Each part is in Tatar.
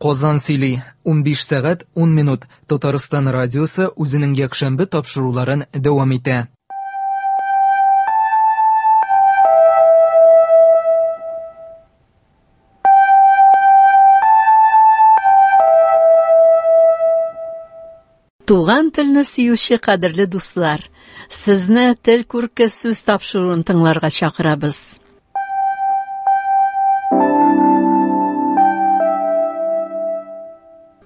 Казан сөйли, 15 сәгать 10 минут. Татарстан радиосы үзенең якшәмбе тапшыруларын дәвам итә. Туган телне сөюче кадерле дуслар, сезне Тел күрке сүз тапшыруын тыңларга чакырабыз.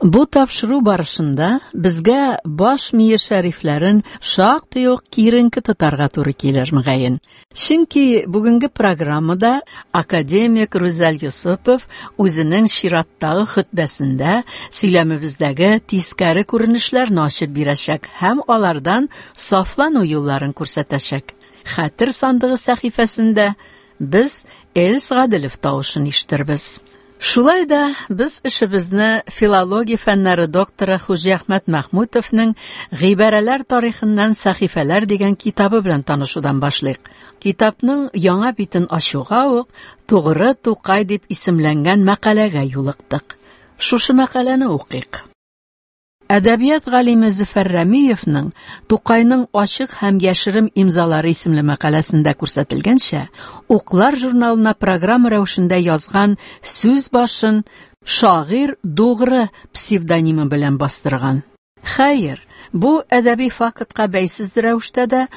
Бу тапшыру барышында безгә баш мие шәрифләрен шактый ук киеренке тотарга туры килер, мөгаен. Чөнки бүгенге программада академик Рүзәл Йосыпов үзенең чираттагы хөтбәсендә сөйләмебездәге тискәре күренешләрне ачып бирәчәк һәм алардан сафлану юлларын күрсәтәчәк. Хәтер сандыгы сәхифәсендә без Эльс Гаделев тавышын ишетербез. Шулай да без эшебезне филология фәннәре докторы Хуҗиәхмәт Мәхмүтовның Гыйбарәләр тарихыннан сәхифәләр дигән китабы белән танышудан башлыйк. Китапның яңа битен ачуга ук Тугры Тукай дип исемләнгән мәкаләгә юлыктык. Шушы мәкаләне укыйк. Әдәбият галиме Зөфәр Рәмиевның Тукайның ачык һәм яшерен имзалары исемле мәкаләсендә күрсәтелгәнчә, Уклар журналына программа рәвешендә язган сүз башын шагыйрь Дугры псевдонимы белән бастырган. Хәер, бу әдәби фактка бәйсез рәвештә дә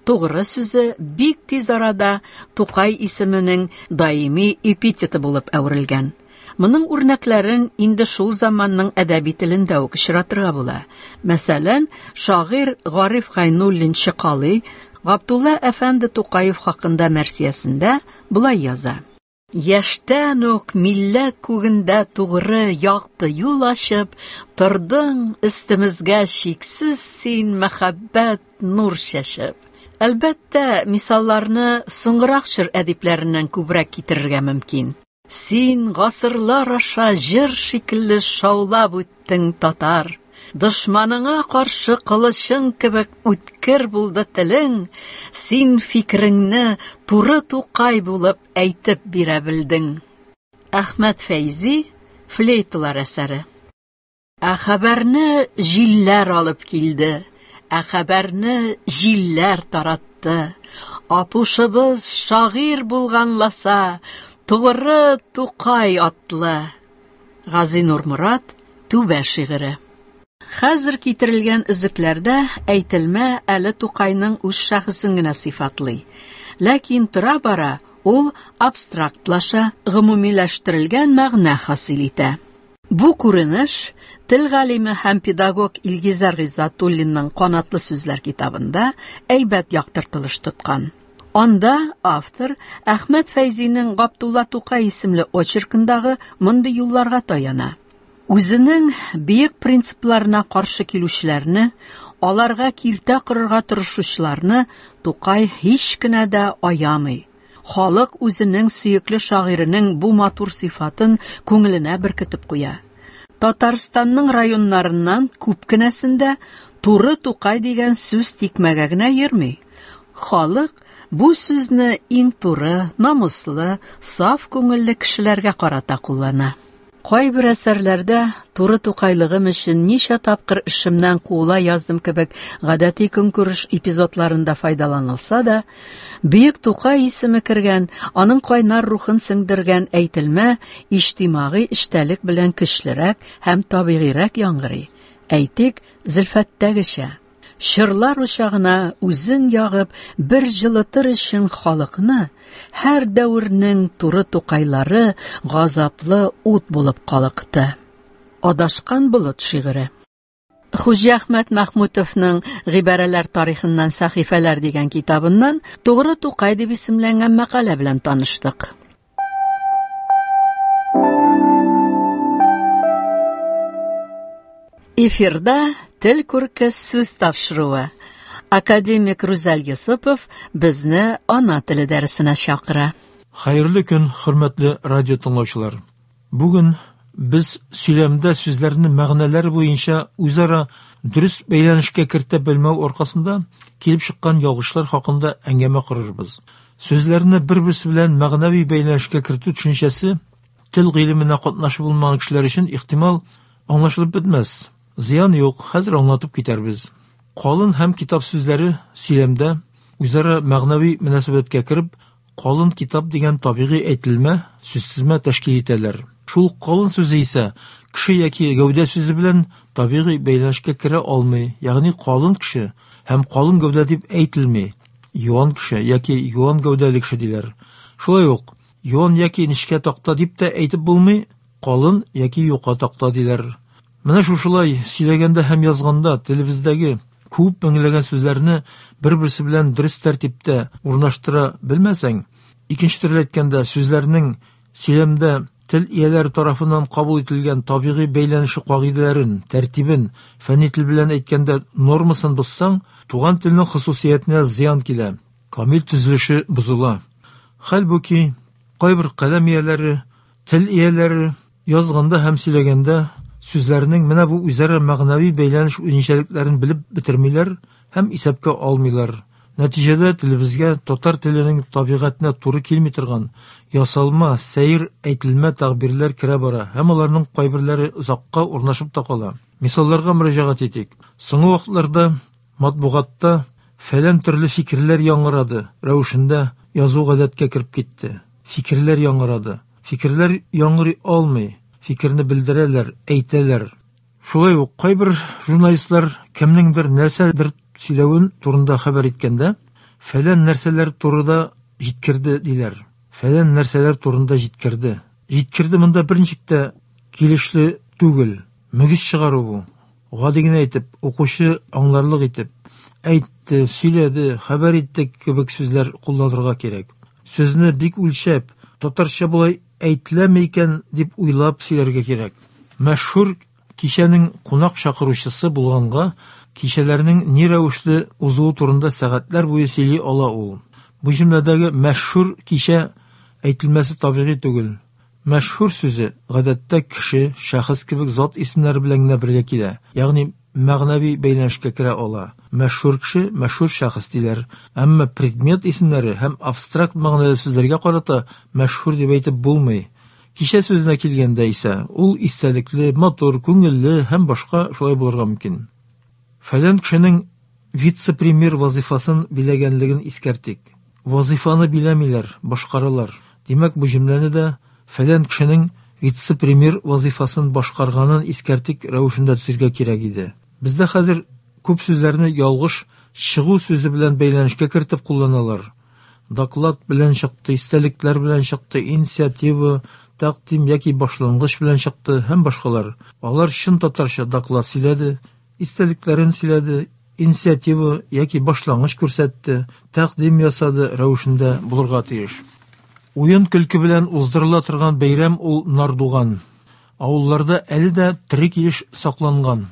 Тугры сүзе бик тиз арада Тукай исеменең даими эпитеты булып әверелгән. Моның үрнәкләрен инде шул заманның әдәби телендә үк очратырга була. Мәсәлән, шагыйрь Гариф Гайнуллин Чыкалый Габдулла әфәнде Тукаев хакында мәрсиясендә болай яза: Яшьтән үк милләт күгендә тугры якты юл ачып, тордың өстемезгә чиксез син мәхәббәт нур чәчеп. Әлбәттә, мисалларны соңгырак чор әдипләреннән күбрәк китерергә мөмкин. Син гасырлар аша җыр шикелле шаулап үттең, татар. Дошманыңа каршы кылычың кебек үткер булды телең, син фикереңне туры Тукай булып әйтеп бирә белдең. Әхмәт Фәйзи, Флейталар әсәре. Ә хәбәрне җилләр алып килде, ә хәбәрне җилләр таратты. Апушыбыз шагыйрь булганласа, Тугры Тукай атлы. Газинур Морат, Түбә шигыре. Хәзер китерелгән өзекләрдә әйтелмә әле Тукайның үз шәхесен генә сыйфатлый. Ләкин тора-бара ул абстрактлаша, гомумиләштерелгән мәгънә хасил итә. Бу күренеш тел галиме һәм педагог Илгизәр Гыйззәтуллинның Канатлы сүзләр китабында әйбәт яктыртылыш тоткан. Анда автор Әхмәт Фәйзинең Габдулла Тукай исемле очеркындагы мондый юлларга таяна. Үзенең бөек принципларына каршы килүчеләрне, аларга киртә корырга тырышучыларны Тукай һич кенә дә аямый. Халык үзенең сөекле шагыйренең бу матур сыйфатын күңеленә беркетеп куя. Татарстанның районнарыннан күп кенәсендә туры Тукай дигән сүз тикмәгә генә йөрми. Халык бу сүзне иң туры, намуслы, саф күңелле кешеләргә карата куллана. Кайбер әсәрләрдә туры Тукайлыгым өчен ничә тапкыр эшемнән куыла яздым кебек гадәти көнкүреш эпизодларында файдаланылса да, бөек Тукай исеме кергән, аның кайнар рухын сеңдергән әйтелмә иҗтимагый эчтәлек белән көчлерәк һәм табигыйрәк яңгырый. Әйтик, Зөлфәттәгечә. Чорлар учагына үзен ягып, бер җылытыр өчен халыкны, һәр дәвернең туры Тукайлары газаплы ут булып калыкты. Адашкан болыт шигыре. Хуҗиәхмәт Мәхмүтовның Гыйбарәләр тарихыннан сәхифәләр дигән китабыннан Тугры Тукай дип исемләнгән мәкалә белән таныштык. Эфирда Тел күрке сүз тапшыруы. Академик Рүзәл Йосыпов безне ана теле дәресенә чакыра. Хәерле көн, хөрмәтле радио тыңлаучылар. Бүген без сөйләмдә сүзләрне мәгънәләр буенча үзара дөрес бәйләнешкә кертә белмәү аркасында килеп чыккан ялгышлар хакында әңгәмә корырбыз. Сүзләрне бер-берсе белән мәгънәви бәйләнешкә кертү төшенчәсе Тел гыйлеменә катнашы булмаган кешеләр өчен, ихтимал, аңлашылып бетмәс. Зыян юк, хәзер аңлатып китәрбез. Калын һәм китап сүзләре сөйләмдә үзара мәгънәви мөнәсәбәткә кереп, калын китап дигән табигый әйтелмә, сүзтезмә тәшкил итәләр. Шул ук калын сүзе исә кеше яки гәүдә сүзе белән табигый бәйләнешкә керә алмый, ягъни калын кеше һәм калын гәүдә дип әйтелми, юан кеше яки юан гәүдәле кеше диләр. Шулай ук юан яки нечкә такта дип тә әйтеп булмый, калын яки юка такта диләр. Менә шушылай сөйләгәндә һәм язганда телебездәге күп меңләгән сүзләрне бер-берсе белән дөрес тәртиптә урнаштыра белмәсәң, икенче төрле әйткәндә, сүзләрнең сөйләмдә тел ияләре тарафыннан кабул ителгән табигый бәйләнеше кагыйдәләрен, тәртибен, фәнни тел белән әйткәндә, нормасын бозсаң, туган телнең хосусиятенә зыян килә, камил төзелеше бозыла. Хәлбуки, кайбер каләм ияләре, тел ияләре язганда һәм сөйләгәндә сүзләрнең менә бу үзара мәгънәви бәйләнеш үзенчәлекләрен белеп бетермиләр һәм исәпкә алмыйлар. Нәтиҗәдә телебезгә татар теленең табигатенә туры килми торган ясалма, сәер әйтелмә тәгъбирләр керә бара һәм аларның кайберләре озакка урнашып та кала. Мисалларга мөрәҗәгать итик. Соңгы вакытларда матбугатта фәлән төрле фикерләр яңгырады рәвешендә язу гадәткә кереп китте. Фикерләр яңгырады. Фикерләр яңгырый алмый, фикерне белдерәләр, әйтәләр. Шулай ук кайбер журналистлар кемнеңдер нәрсәдер сөйләвен турында хәбәр иткәндә, фәлән нәрсәләр турында җиткерде диләр. Фәлән нәрсәләр турында җиткерде. Җиткерде монда берничек тә килешле түгел. Мөгез чыгару бу. Гади генә итеп, укучы аңларлык итеп, әйтте, сөйләде, хәбәр итте кебек сүзләр кулланырга кирәк. Сүзне бик үлчәп, татарча болай әйтеләме икән дип уйлап сөйләргә кирәк. Мәшһүр кичәнең кунак чакыручысы булганга, кичәләрнең ни рәвешле узуы турында сәгатьләр буе сөйли ала ул. Бу җөмләдәге мәшһүр кичә әйтелмәсе табигый түгел. Мәшһүр сүзе гадәттә кеше, шәхес кебек зат исемнәре белән генә бергә килә, ягъни мәгънәви бәйләнешкә керә ала. Мәшһүр кеше, мәшһүр шәхес диләр. Әмма предмет исемнәре һәм абстракт мәгънәле сүзләргә карата мәшһүр дип әйтеп булмый. Кичә сүзенә килгәндә исә, ул истәлекле, матур, күңелле һәм башка шулай булырга мөмкин. Фәлән кешенең вице-премьер вазыйфасын биләгәнлеген искәртик. Вазыйфаны биләмиләр, башкаралар. Димәк, бу җөмләне дә фәлән кешенең вице-премьер вазыйфасын башкарганын искәртик рәвешендә төзергә кирәк иде. Бездә хәзер күп сүзләрне ялгыш чыгу сүзе белән бәйләнешкә кертеп кулланалар. Доклад белән чыкты, истәлекләр белән чыкты, инициатива, тәкъдим яки башлангыч белән чыкты һәм башкалар. Алар чын татарча доклад сөйләде, истәлекләрен сөйләде, инициатива яки башлангыч күрсәтте, тәкъдим ясады рәвешендә булырга тиеш. Уен көлке белән уздырыла торган бәйрәм ул Нардуган. Авылларда әле дә тере килеш сакланган.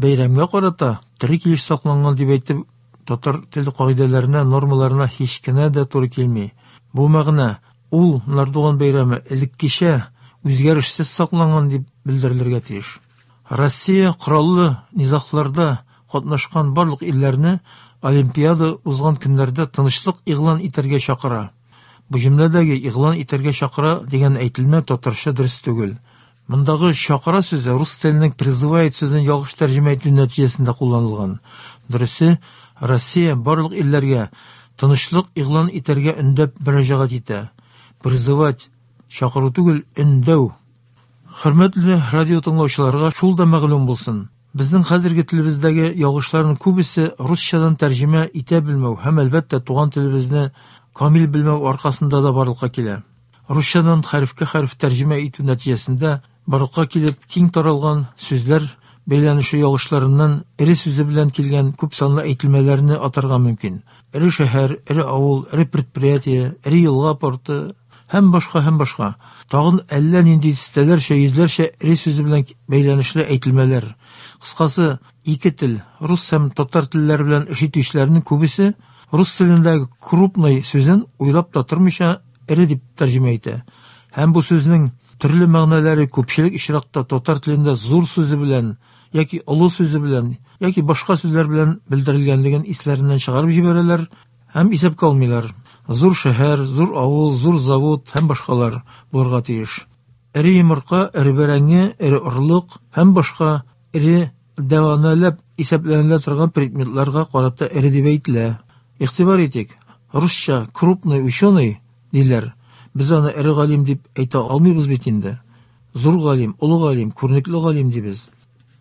Бәйрәмгә карата тере килеш сакланган дип әйтеп, татар теле кагыйдәләренә, нормаларына һич кенә дә туры килми. Бу мәгънә ул Нардуган бәйрәме элеккечә үзгәрешсез сакланган дип белдерелергә тиеш. Россия кораллы низагларда катнашкан барлык илләрне Олимпиада узган көннәрдә тынычлык игълан итәргә чакыра. Бу җөмләдәге игълан итәргә чакыра дигән әйтелмә татарча дөрес түгел. Мондагы чакыра сүзе рус теленең призывает сүзен ялгыш тәрҗемә итү нәтиҗәсендә кулланылган. Дөресе, Россия барлык илләргә тынычлык игълан итәргә өндәп мөрәҗәгать итә. Призывать чакыру түгел, өндәү. Хөрмәтле радио тыңлаучыларга шул да мәгълүм булсын. Безнең хәзерге телебездәге ялгышларның күбесе русчадан тәрҗемә итә белмәү һәм әлбәттә туган телебезне камил белмәү аркасында да барлыкка килә. Русчадан хәрефкә хәреф тәрҗемә итү нәтиҗәсендә барлыкка килеп киң таралган сүзләр бәйләнеше ялгышларыннан эре сүзе белән килгән күп санлы әйтелмәләрне атарга мөмкин. Эре шәһәр, эре авыл, эре предприятие, эре елга порты һәм башка һәм башка. Тагын әллә нинди дистәләрчә, йөзләрчә эре сүзе белән бәйләнешле әйтелмәләр. Кыскасы, ике тел, рус һәм татар телләре белән эш итүчеләрнең күбесе рус телендәге крупный сүзен уйлап та тормыйча эре дип тәрҗемә итә. Һәм бу сүзнең төрле мәгънәләре күпчелек очракта татар телендә зур сүзе белән яки олы сүзе белән яки башка сүзләр белән белдерелгәнлеген исләреннән чыгарып җибәрәләр һәм исәпкә алмыйлар. Зур шәһәр, зур авыл, зур завод һәм башкалар булырга тиеш. Эре йомырка, эре бәрәңге, эре орлык һәм башка эре дәванәләп исәпләнелә торган предметларга карата эре дип әйтелә. Игътибар итик, русча крупный ученый диләр. Без аны эре галим дип әйтә алмыйбыз бит инде. Зур галим, олы галим, күренекле галим дибез.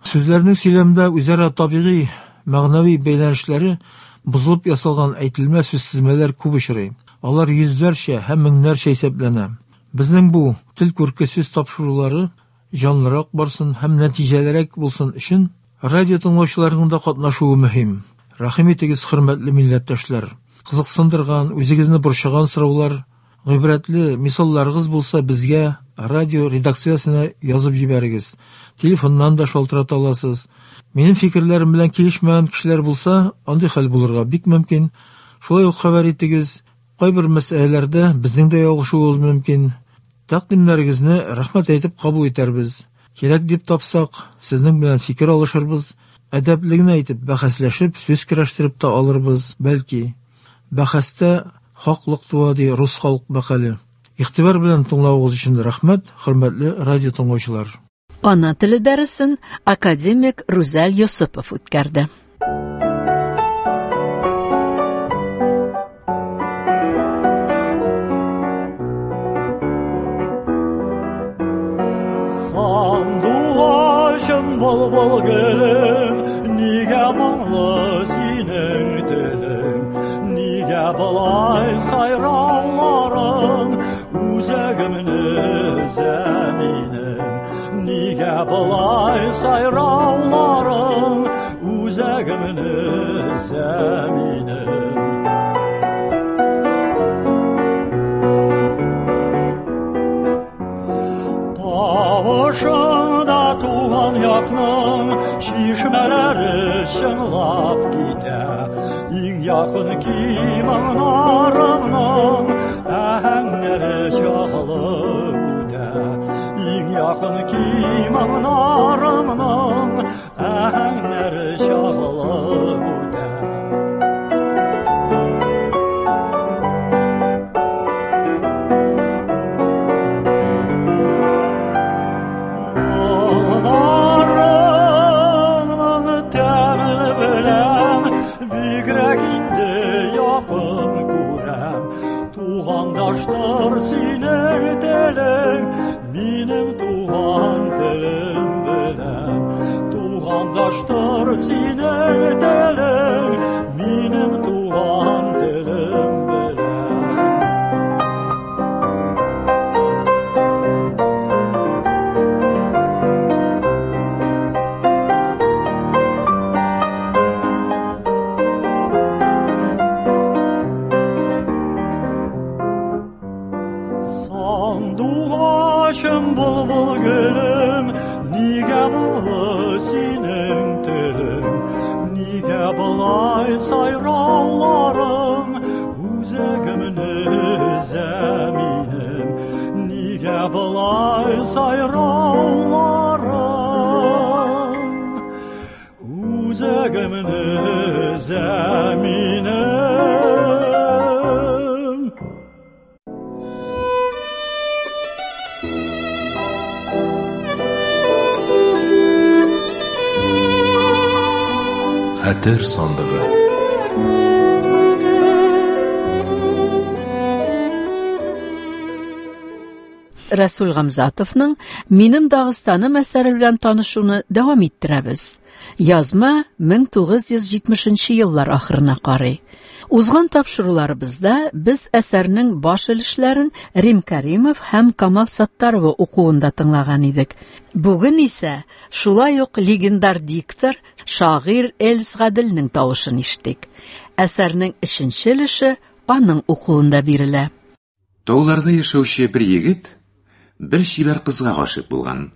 Сүзләрнең сөйләмдә үзара табигый, мәгънәви бәйләнешләре бозылып ясалган әйтелмә сүзтезмәләр күп очрый. Алар йөзләрчә һәм меңнәрчә исәпләнә. Безнең бу тел күрке сүз тапшырулары җанлырак барсын һәм нәтиҗәлерәк булсын өчен радио тыңлаучыларның да катнашуы мөһим. Рәхим итегез, хөрмәтле милләттәшләр. Кызыксындырган, үзегезне борчыган сораулар, гыйбрәтле мисалларыгыз булса, безгә радио редакциясенә язып җибәрегез. Телефоннан да шалтырата аласыз. Минем фикерләрем белән килешмәгән кешеләр булса, андый хәл булырга бик мөмкин. Шулай ук хәбәр итегез. Кайбер мәсьәләләрдә безнең дә ялгышуыбыз мөмкин. Тәкъдимнәрегезне рәхмәт әйтеп кабул итәрбез. Кирәк дип тапсак, сезнең белән фикер алышырбыз. Әдәпле генә итеп бәхәсләшеп, сүз көрәштереп тә алырбыз, бәлки. Бәхәстә хаклык туа, ди рус халык мәкале. Игътибар белән тыңлавыгыз өчен рәхмәт, хөрмәтле радио тыңлаучылар. Ана теле дәресен академик Рүзәл Йосыпов үткәрде. Сандугачым, былбыл гөлем, нигә моңлы синең телең? Нигә болай сайрауларың үзәгемне өзә минем? Нигә болай сайрауларың үзәгемне өзә минем? Тавышыңда туган якның чишмәләре чыңлап китә. Иң якын кимаңнарымның аһәңнәре чагылып үтә. Иң якын кимаңнарымның аһәңнәре чагылып үтә. Моңнарыңның тәмен беләм, бигрәк инде якын күрәм. Тугандаштыр синең телең, минем туган телем белән. Тугандаштыр синең телең, минем туган телем белән. Сандугачым, былбыл гөлем, нигә моңлы синең телең? Нигә болай сайрауларың үзәгемне өзә минем? Нигә болай сайрауларың үзәгемне өзә минем? Хәтер сандыгы. Рәсүл Гамзатовның Минем Дагыстаным әсәре белән танышуны дәвам иттерәбез. Язма 1970 еллар ахырына карый. Узган тапшыруларыбызда без әсәрнең баш өлешләрен Рим Кәримов һәм Камал Саттарова укуында тыңлаган идек. Бүген исә шулай ук легендар диктор, шагыйрь Эльс Гаделнең тавышын ишеттек. Әсәрнең өченче өлеше аның укуында бирелә. Тауларда яшәүче бер егет бер чибәр кызга гашыйк булган.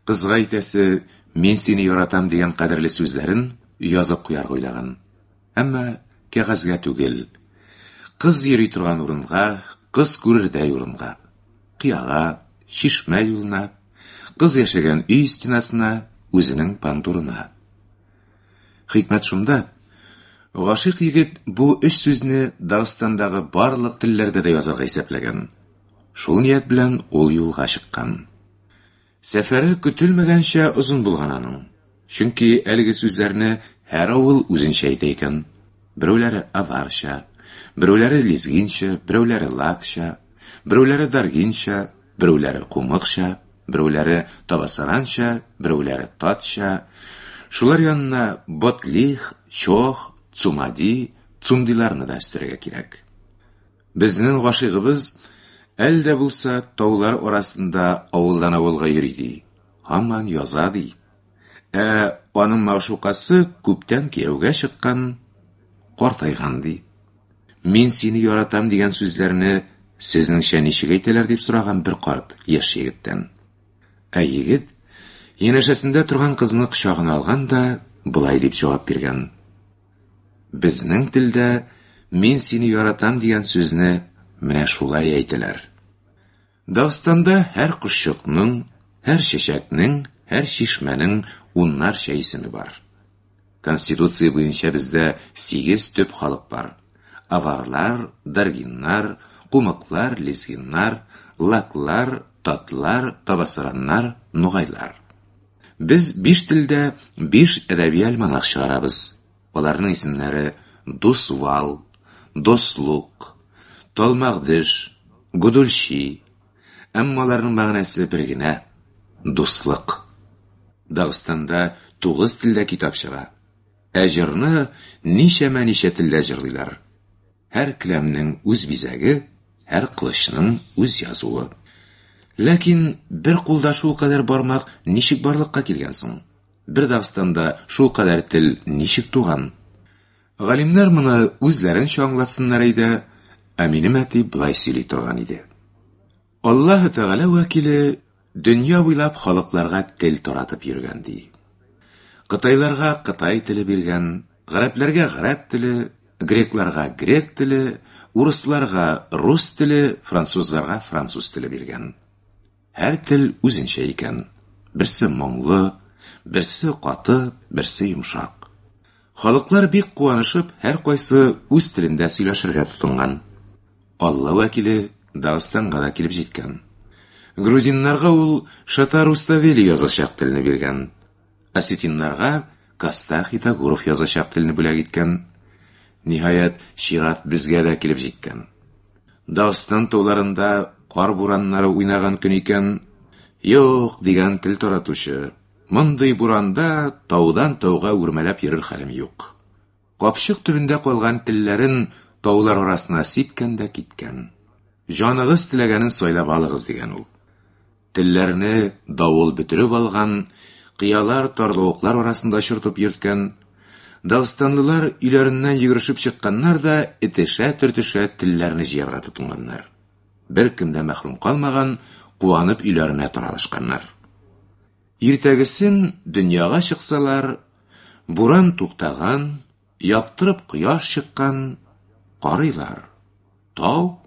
Кызга әйтәсе, мин сине яратам дигән кадерле сүзләрен язып куярга уйлаган. Әмма кәгазьгә түгел. Кыз йөри торган урынга, кыз күрердәй урынга. Кыяга, чишмә юлына, кыз яшәгән өй стенасына, үзенең пандурына. Хикмәт шунда, гашыйк егет бу өч сүзне Дагыстандагы барлык телләрдә дә язарга исәпләгән. Шул ният белән ул юлга чыккан. Сәфәре көтелмәгәнчә озын булган аның. Чөнки әлеге сүзләрне һәр авыл үзенчә әйтә икән. Берәүләре аварча, берәүләре лезгинча, берәүләре лакча, берәүләре даргинча, берәүләре кумыкча, берәүләре табасаранча, берәүләре татча. Шулар янына ботлих, чох, цумади, цумдиларны да өстәргә кирәк. Безнең гашыйгыбыз әле дә булса таулар арасында авылдан авылга йөри ди. Һаман яза ди. Ә аның мәгъшукасы күптән кияүгә чыккан, картайган ди. Мин сине яратам дигән сүзләрне сезнеңчә ничек әйтәләр дип сораган бер карт яшь егеттән. Ә егет янәшәсендә торган кызны кочагына алган да болай дип җавап биргән. Безнең телдә мин сине яратам дигән сүзне менә шулай әйтәләр. Дагыстанда һәр кошчыкның, һәр чәчәкнең, һәр чишмәнең уннарча исеме бар. Конституция буенча бездә 8 төп халык бар. Аварлар, даргиннар, кумыклар, лезгиннар, лаклар, татлар, табасараннар, нугайлар. Без биш телдә биш әдәби альманах чыгарабыз. Аларның исемнәре Дусвал, Дослук, Талмагдыш, Гудульчи. Әмма аларның мәгънәсе бер генә дуслык. Дагыстанда 9 телдә китап чыга. Ә җырны ничәмә-ничә телдә җырлыйлар. Һәр келәмнең үз бизәге, һәр кылычның үз язуы. Ләкин бер кулда шул кадәр бармак ничек барлыкка килгән соң? Бер Дагыстанда шул кадәр тел ничек туган? Галимнәр моны үзләренчә аңлатсыннар әйдә, ә минем әти болай сөйли торган иде. Аллаһы Тәгалә вәкиле дөнья буйлап халыкларга тел таратып йөргән ди. Кытайларга кытай теле биргән, гарәпләргә гарәп теле, грекларга грек теле, урысларга рус теле, французларга француз теле биргән. Һәр тел үзенчә икән. Берсе моңлы, берсе каты, берсе йомшак. Халыклар бик куанышып, һәркайсы үз телендә сөйләшергә тотынган. Алла вәкиле Дагыстанга да килеп җиткән. Грузиннарга ул Шата Руставели язачак телне биргән. Осетиннарга Костах Итагуров язачак телне бүләк иткән. Ниһаять, чират безгә дә килеп җиткән. Дагыстан тауларында кар бураннары уйнаган көн икән. Юк, дигән тел таратучы. Мондый буранда таудан тауга үрмәләп йөрер хәлем юк. Капчык төбендә калган телләрен таулар арасына сипкән дә киткән. Җаныгыз теләгәнен сайлап алыгыз, дигән ул. Телләрне давыл бөтереп алган, кыялар, тарлавыклар арасында очыртып йөрткән. Дагыстанлылар өйләреннән йөгерешеп чыкканнар да этешә-төртешә телләрне җыярга тотынганнар. Беркем дә мәхрүм калмаган, куанып өйләренә таралышканнар. Иртәгесен дөньяга чыксалар, буран туктаган, яктырып кояш чыккан, карыйлар. Тау?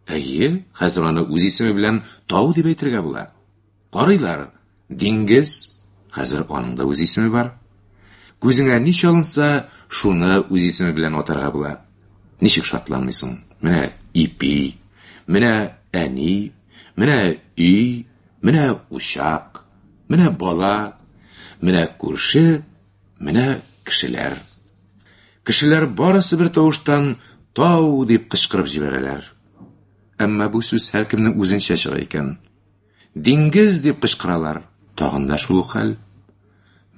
Әйе, хәзер аны үз исеме белән тау дип әйтергә була. Карыйлар, диңгез, хәзер аның да үз исеме бар. Күзеңә ни чалынса, шуны үз исеме белән атарга була. Ничек шатланмыйсың? Менә ипи, менә әни, менә өй, менә учак, менә бала, менә күрше, менә кешеләр. Кешеләр барысы бер тавыштан тау дип кычкырып җибәрәләр. Әмма бу сүз һәркемнең үзенчә чыга икән. Диңгез дип кычкыралар. Тагын да шул ук хәл.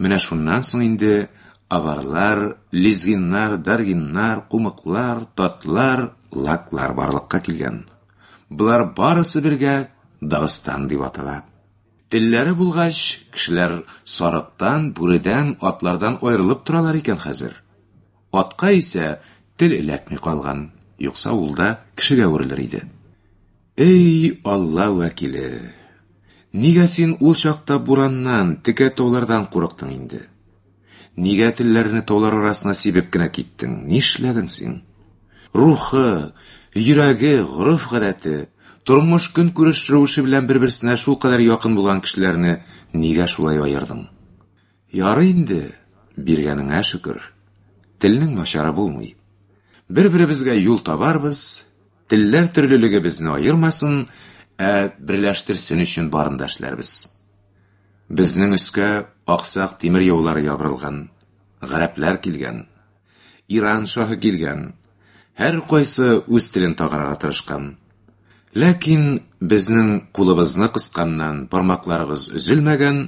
Менә шуннан соң инде аварлар, лезгиннар, даргиннар, кумыклар, татлар, лаклар барлыкка килгән. Болар барысы бергә Дагыстан дип атала. Телләре булгач, кешеләр сарыктан, бүредән, атлардан аерылып торалар икән хәзер. Атка исә тел эләкми калган, юкса ул да кешегә әверелер иде. Эй, Алла вәкиле! Нигә син ул чакта бураннан, текә таулардан курыктың инде? Нигә телләрне таулар арасына сибеп кенә киттең? Нишләдең син? Рухы, йөрәге, гореф-гадәте, тормыш көнкүреш рәвеше белән бер-берсенә шулкадәр якын булган кешеләрне нигә шулай аердың? Ярый инде, биргәнеңә шөкер. Телнең начары булмый. Бер-беребезгә юл табарбыз, телләр төрлелеге безне аермасын, ә берләштерсен өчен барын да эшләрбез. Безнең өскә аксак тимер яулары ябырылган, гарәпләр килгән, Иран шаһы килгән. Һәр кайсы үз телен тагарга тырышкан. Ләкин безнең кулыбызны кысканнан бармакларыбыз өзелмәгән,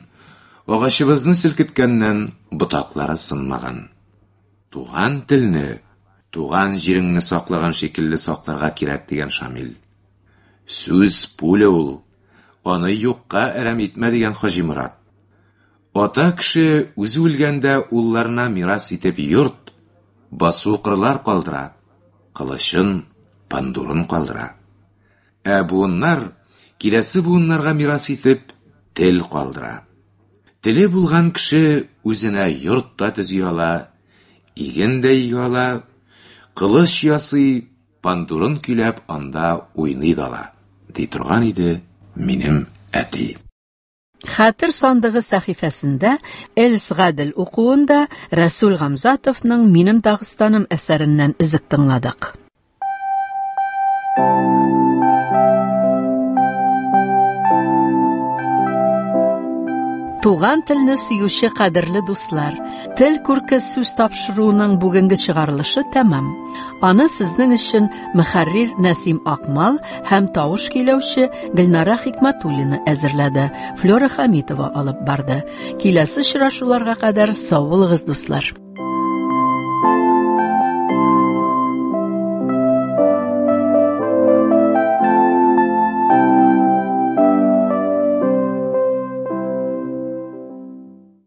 агачыбызны селкеткәннән ботаклары сынмаган. Туган телне, туган җиреңне саклаган шикелле сакларга кирәк дигән Шамил. Сүз пуля ул, аны юкка әрәм итмә дигән Хаҗи Морат. Ата кеше үзе үлгәндә улларына мирас итеп йорт, басу-кырлар калдыра, кылычын, пандурын калдыра. Ә буыннар киләсе буыннарга мирас итеп тел калдыра. Теле булган кеше үзенә йорт та төзи ала, иген дә игә ала, кылыч ясый, пандурын көйләп анда уйный да ала, ди торган иде минем әти. Хәтер сандыгы сәхифәсендә Эльс Гадел укуында Рәсүл Гамзатовның Минем Дагыстаным әсәреннән өзек тыңладык. Туган телне сөюче кадерле дуслар, Тел күрке сүз тапшыруының бүгенге чыгарылышы тәмам. Аны сезнең өчен мөхәррир Нәсим Акмал һәм тавыш көйләүче Гөлнара Хикматуллина әзерләде. Флера Хамитова алып барды. Киләсе очрашуларга кадәр сау булыгыз, дуслар.